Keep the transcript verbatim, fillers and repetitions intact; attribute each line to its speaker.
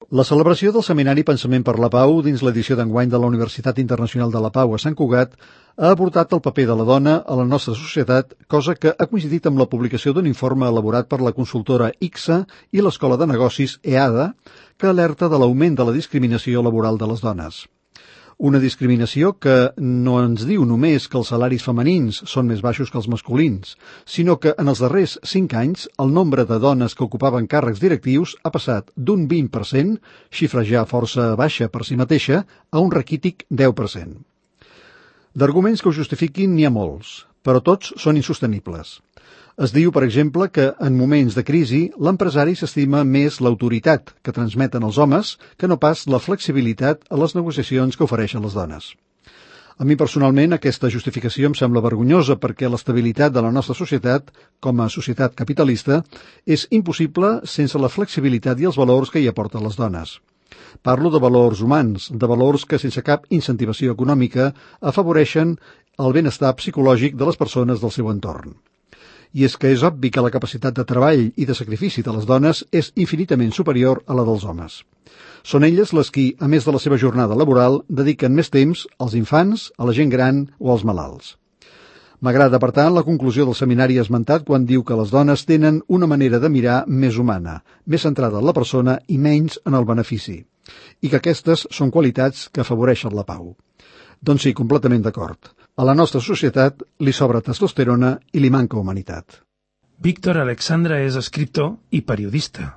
Speaker 1: La celebració del Seminari Pensament per la Pau dins l'edició d'enguany de la Universitat Internacional de la Pau a Sant Cugat ha aportat el paper de la dona a la nostra societat, cosa que ha coincidit amb la publicació d'un informe elaborat per la consultora I C S A i l'Escola de Negocis E A D A, que alerta de l'augment de la discriminació laboral de les dones. Una discriminació que no ens diu només que els salaris femenins són més baixos que els masculins, sinó que en els darrers cinc anys el nombre de dones que ocupaven càrrecs directius ha passat d'un vint per cent, xifra ja força baixa per si mateixa, a un raquític deu per cent. D'arguments que ho justifiquin n'hi ha molts, però tots són insostenibles. Es diu, per exemple, que en moments de crisi l'empresari s'estima més l'autoritat que transmeten els homes que no pas la flexibilitat a les negociacions que ofereixen les dones. A mi personalment aquesta justificació em sembla vergonyosa perquè l'estabilitat de la nostra societat, com a societat capitalista, és impossible sense la flexibilitat i els valors que hi aporten les dones. Parlo de valors humans, de valors que sense cap incentivació econòmica afavoreixen el benestar psicològic de les persones del seu entorn. I és que és obvi que la capacitat de treball i de sacrifici de les dones és infinitament superior a la dels homes. Són elles les qui, a més de la seva jornada laboral, dediquen més temps als infants, a la gent gran o als malalts. M'agrada, per tant, la conclusió del seminari esmentat quan diu que les dones tenen una manera de mirar més humana, més centrada en la persona i menys en el benefici, i que aquestes són qualitats que afavoreixen la pau. Doncs sí, completament d'acord. A la nostra societat li sobra testosterona i li manca humanitat.
Speaker 2: Víctor Alexandra és escriptor i periodista.